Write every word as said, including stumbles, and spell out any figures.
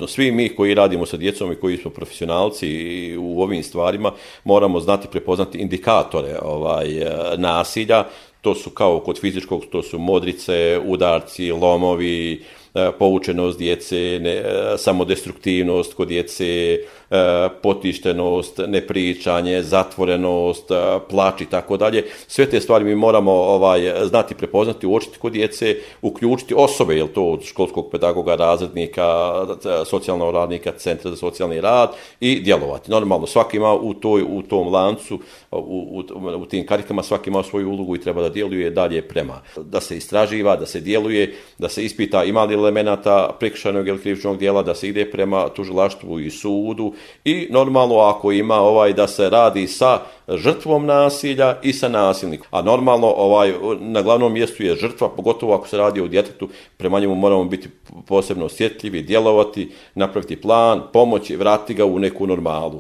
apsolutno. Svi mi koji radimo sa djecom i koji smo profesionalci u ovim stvarima moramo znati prepoznati indikatore ovaj, nasilja. To su kao kod fizičkog, to su modrice, udarci, lomovi, poučenost djece, ne, samodestruktivnost kod djece, potištenost, nepričanje, zatvorenost, plač i tako dalje. Sve te stvari mi moramo ovaj, znati prepoznati, uočiti kod djece, uključiti osobe, jel to od školskog pedagoga, razrednika, socijalnog radnika, centra za socijalni rad i djelovati. Normalno, svaki ima u, toj, u tom lancu, u, u, u tim karikama, svaki ima svoju ulogu i treba da djeluje dalje prema. Da se istraživa, da se djeluje, da se ispita ima li elemenata prekršajnog ili krivičnog djela, da se ide prema tužilaštvu i sudu i normalno ako ima ovaj da se radi sa žrtvom nasilja i sa nasilnikom. A normalno ovaj na glavnom mjestu je žrtva, pogotovo ako se radi o djetetu, prema njemu moramo biti posebno osjetljivi, djelovati, napraviti plan, pomoći, vratiti ga u neku normalu.